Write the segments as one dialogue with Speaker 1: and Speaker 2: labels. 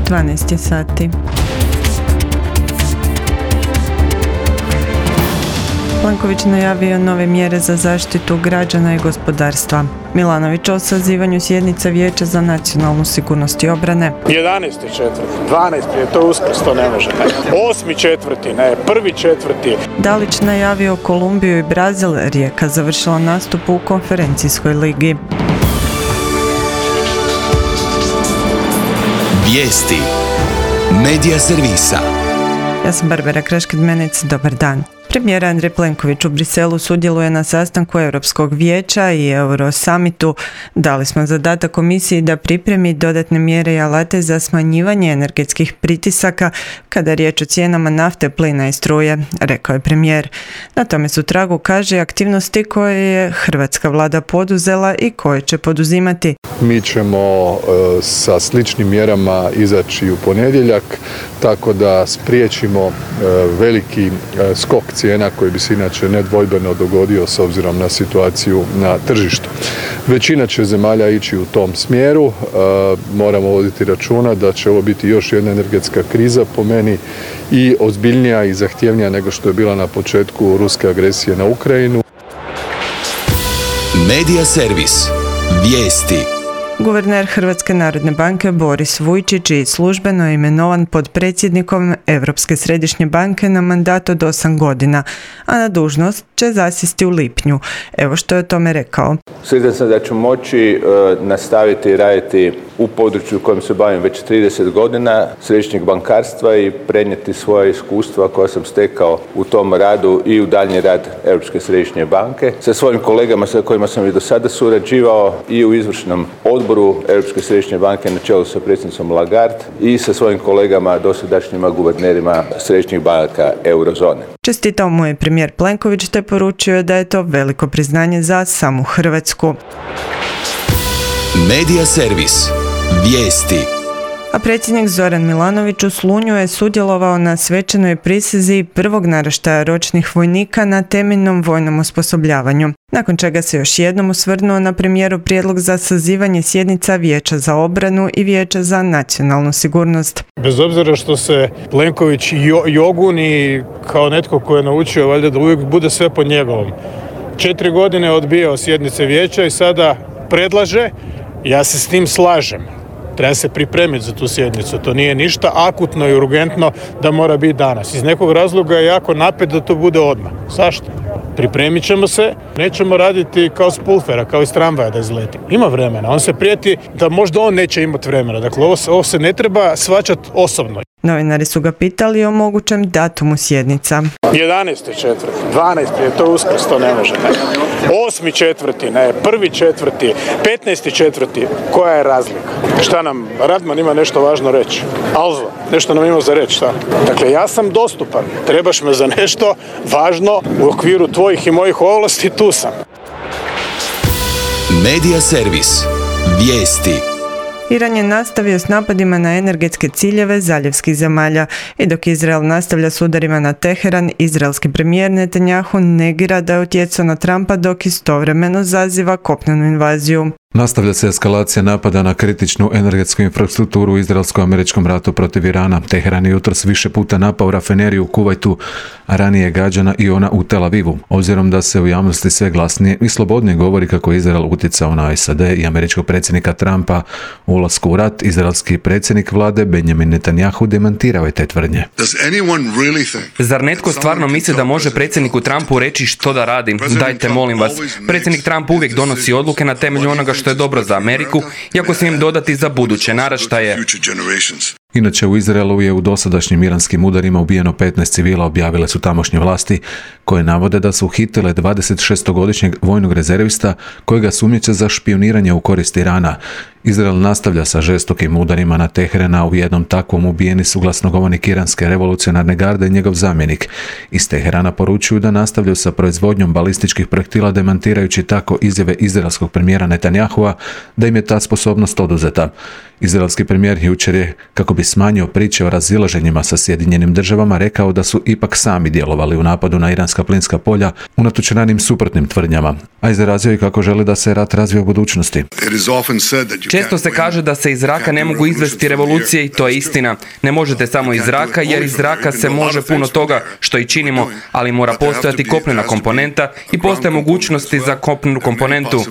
Speaker 1: 12 je sati. Plenković najavio nove mjere za zaštitu građana i gospodarstva. Milanović o sazivanju sjednice Vijeća za nacionalnu sigurnost i obrane.
Speaker 2: 11.4., 12. to je Uskrs, to ne može. 8.4., ne, 1.4.
Speaker 1: Dalić najavio Kolumbiju i Brazil, Rijeka završila nastup u konferencijskoj ligi.
Speaker 3: Vijesti Medija servisa.
Speaker 1: Ja sam Barbara Kraškid-Menec, dobar dan. Premijer Andrej Plenković u Briselu sudjeluje na sastanku Europskog vijeća i Eurosamitu. Dali smo zadatak komisiji da pripremi dodatne mjere i alate za smanjivanje energetskih pritisaka kada je riječ o cijenama nafte, plina i struje, rekao je premijer. Na tome su tragu, kaže, aktivnosti koje je hrvatska vlada poduzela i koje će poduzimati.
Speaker 4: Mi ćemo sa sličnim mjerama izaći u ponedjeljak, tako da spriječimo veliki skok cijena koji bi se inače nedvojbeno dogodio s obzirom na situaciju na tržištu. Većina će zemalja ići u tom smjeru. Moramo voditi računa da će ovo biti još jedna energetska kriza, po meni i ozbiljnija i zahtjevnija nego što je bila na početku ruske agresije na Ukrajinu.
Speaker 3: Medija servis. Vijesti.
Speaker 1: Guverner Hrvatske narodne banke Boris Vujčić je službeno imenovan potpredsjednikom Europske središnje banke na mandat od 8 godina, a na dužnost će zasjesti u lipnju. Evo što je o tome rekao.
Speaker 5: Sretan sam da ću moći nastaviti raditi u području u kojem se bavim već 30 godina središnjeg bankarstva i prenijeti svoje iskustva koja sam stekao u tom radu i u daljnji rad Europske središnje banke sa svojim kolegama sa kojima sam i do sada surađivao i u izvršnom odboru Europske središnje banke na čelu sa predsjednicom Lagarde i sa svojim kolegama dosadašnjima guvernerima središnjih banaka eurozone.
Speaker 1: Čestitao mu je premijer Plenković te poručio da je to veliko priznanje za samu Hrvatsku.
Speaker 3: Medija servis. Vijesti.
Speaker 1: A predsjednik Zoran Milanović u Slunju je sudjelovao na svečanoj prisezi prvog naraštaja ročnih vojnika na temeljnom vojnom osposobljavanju, nakon čega se još jednom osvrnuo na premijeru prijedlog za sazivanje sjednica Vijeća za obranu i Vijeća za nacionalnu sigurnost.
Speaker 2: Bez obzira što se Plenković joguni kao netko ko je naučio valjda da uvijek bude sve po njegovom. 4 godine je odbijao sjednice vijeća i sada predlaže, ja se s tim slažem. Treba se pripremiti za tu sjednicu. To nije ništa akutno i urgentno da mora biti danas. Iz nekog razloga je jako napet da to bude odmah. Zašto? Pripremit ćemo se, nećemo raditi kao s pulfera, kao iz tramvaja da izleti. Ima vremena, on se prijeti da možda on neće imati vremena. Dakle, ovo se ne treba shvaćati osobno.
Speaker 1: Novinari su ga pitali o mogućem datumu sjednica.
Speaker 2: 11.4., 12. to je Uskrs, to ne može. 8.4., ne, 1.4., 15.4., koja je razlika? Šta nam, Radman ima nešto važno reći? Also, nešto nam ima za reći, šta? Dakle, ja sam dostupan, trebaš me za nešto važno u okviru tvojih i mojih ovlasti, tu sam.
Speaker 3: Medija servis. Vijesti.
Speaker 1: Iran je nastavio s napadima na energetske ciljeve zaljevskih zemalja i dok Izrael nastavlja s udarima na Teheran, izraelski premijer Netanjahu negira da je utjecao na Trumpa dok istovremeno zaziva kopnenu invaziju.
Speaker 6: Nastavlja se eskalacija napada na kritičnu energetsku infrastrukturu u izraelsko-američkom ratu protiv Irana. Teheran je jutros više puta napao rafineriju u Kuvajtu, a ranije je gađana i ona u Tel Avivu. Obzirom da se u javnosti sve glasnije i slobodnije govori kako je Izrael utjecao na SAD i američkog predsjednika Trumpa u ulasku u rat, izraelski predsjednik vlade Benjamin Netanjahu demantirao je te tvrdnje.
Speaker 7: Zar netko stvarno misli da može predsjedniku Trumpu reći što da radi? Dajte, molim vas. Predsjednik Trump uvijek donosi odluke na temelju onoga što je dobro za Ameriku, iako se im dodati za buduće naraštaje.
Speaker 6: Inače, u Izraelu je u dosadašnjim iranskim udarima ubijeno 15 civila, objavile su tamošnje vlasti, koje navode da su uhitile 26-godišnjeg vojnog rezervista kojega sumnjiče za špioniranje u korist Irana. Izrael nastavlja sa žestokim udarima na Teherana. U jednom takvom ubijeni su glasnogovornik iranske revolucionarne garde i njegov zamjenik. Iz Teherana poručuju da nastavljaju sa proizvodnjom balističkih projektila, demantirajući tako izjave izraelskog premijera Netanjahua da im je ta sposobnost oduzeta. Izraelski premijer jučer je, kako bi smanjio priče o razilaženjima sa Sjedinjenim državama, rekao da su ipak sami djelovali u napadu na iranska plinska polja unatoč ranim suprotnim tvrdnjama, a izrazio i kako želi da se rat razvije u budućnosti.
Speaker 7: Često se kaže da se iz zraka ne mogu izvesti revolucije i to je istina. Ne možete samo iz zraka, jer iz zraka se može puno toga što i činimo, ali mora postojati kopnena komponenta i postoje mogućnosti za kopnenu komponentu.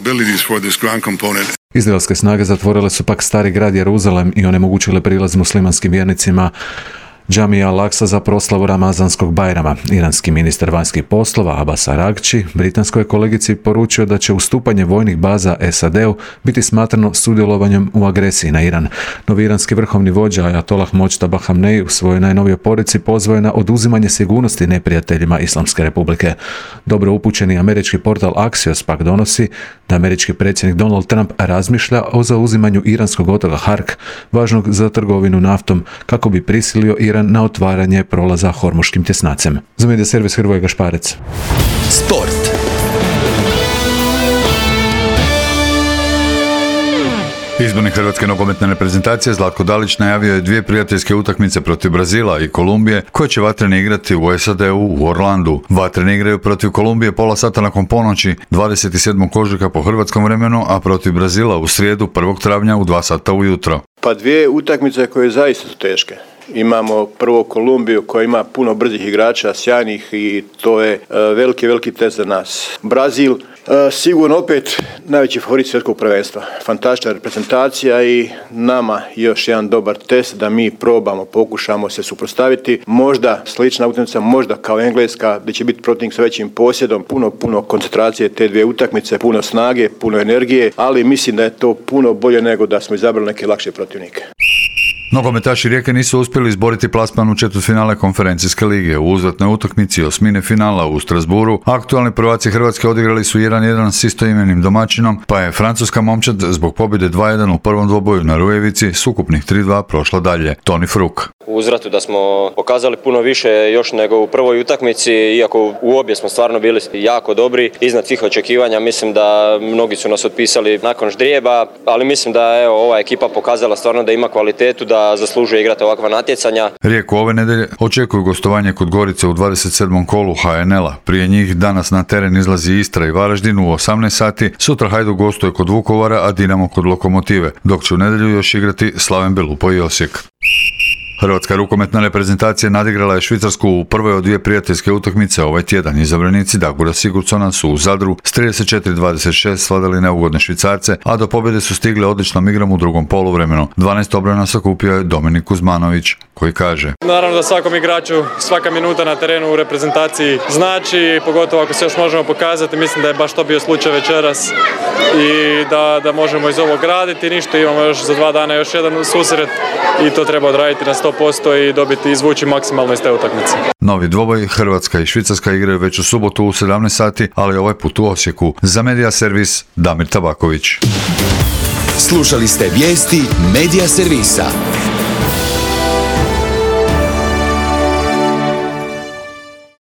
Speaker 6: Izraelske snage zatvorile su pak stari grad Jeruzalem i onemogućile prilaz muslimanskim vjernicima Džamija Al-Aqsa za proslavu Ramazanskog Bajrama. Iranski ministar vanjskih poslova Abbas Araghči britanskoj kolegici poručio da će ustupanje vojnih baza SAD-u biti smatrano sudjelovanjem u agresiji na Iran. Novi iranski vrhovni vođa Ajatollah Mojtaba Khamenei u svojoj najnovijoj poruci pozvao je na oduzimanje sigurnosti neprijateljima Islamske republike. Dobro upućeni američki portal Axios pak donosi da američki predsjednik Donald Trump razmišlja o zauzimanju iranskog otoka Hark, važnog za trgovinu naftom, kako bi prisilio Iran na otvaranje prolaza Hormuškim tjesnacem. Za medija servis Hrvoje Gašparec.
Speaker 3: Sport.
Speaker 8: Izbornik hrvatske nogometne reprezentacije Zlatko Dalić najavio je 2 prijateljske utakmice protiv Brazila i Kolumbije koje će vatreni igrati u SAD-u u Orlandu. Vatreni igraju protiv Kolumbije pola sata nakon ponoći 27. ožujka po hrvatskom vremenu, a protiv Brazila u srijedu 1. travnja u 2 sata ujutro.
Speaker 9: Pa 2 utakmice koje zaista su teške. Imamo prvo Kolumbiju koja ima puno brzih igrača, sjajnih, i to je veliki test za nas. Brazil, sigurno opet najveći favorit svjetskog prvenstva. Fantastična reprezentacija i nama još jedan dobar test da mi pokušamo se suprotstaviti. Možda slična utakmica, možda kao Engleska, gdje će biti protivnik sa većim posjedom, puno koncentracije te 2 utakmice, puno snage, puno energije, ali mislim da je to puno bolje nego da smo izabrali neke lakše protivnike.
Speaker 8: Nogometaši Rijeke nisu uspjeli izboriti plasman u četvrtfinale konferencijske lige. U uzvratnoj utakmici osmine finala u Strasbourgu aktualni prvaci Hrvatske odigrali su 1-1 s istoimenim domaćinom, pa je francuska momčad zbog pobjede 2-1 u prvom dvoboju na Rujevici s ukupnih 3-2 prošla dalje. Toni Fruk.
Speaker 10: U uzvratu da smo pokazali puno više još nego u prvoj utakmici, iako u obje smo stvarno bili jako dobri, iznad svih očekivanja. Mislim da mnogi su nas otpisali nakon ždrijeba, ali mislim da je ova ekipa pokazala stvarno da ima kvalitetu, da zaslužuje igrati ovakva natjecanja.
Speaker 8: Rijeku ove nedelje očekuju gostovanje kod Gorice u 27. kolu HNL-a. Prije njih danas na teren izlazi Istra i Varaždin u 18 sati, sutra Hajduk gostuje kod Vukovara, a Dinamo kod Lokomotive, dok će u nedjelju još igrati Slaven Belupo i Osijek. Hrvatska rukometna reprezentacija nadigrala je Švicarsku u prvoj od 2 prijateljske utakmice ovaj tjedan. Izabranici Dagura Sigurdsona su u Zadru s 34-26 svladali neugodne Švicarce, a do pobjede su stigli odličnom igrom u drugom poluvremenu. 12 obrana sakupio je Dominik Kuzmanović, koji kaže:
Speaker 11: Naravno da svakom igraču svaka minuta na terenu u reprezentaciji znači, pogotovo ako se još možemo pokazati. Mislim da je baš to bio slučaj večeras i da možemo iz ovog raditi. Ništa, imamo još za 2 dana još jedan susret i to treba odraditi na 100% i dobiti, izvući maksimalno iz te utakmice.
Speaker 8: Novi dvoboj Hrvatska i Švicarska igraju već u subotu u 17 sati, ali ovaj put u Osijeku. Za Medija servis Damir Tabaković.
Speaker 3: Slušali ste vijesti Medija servisa.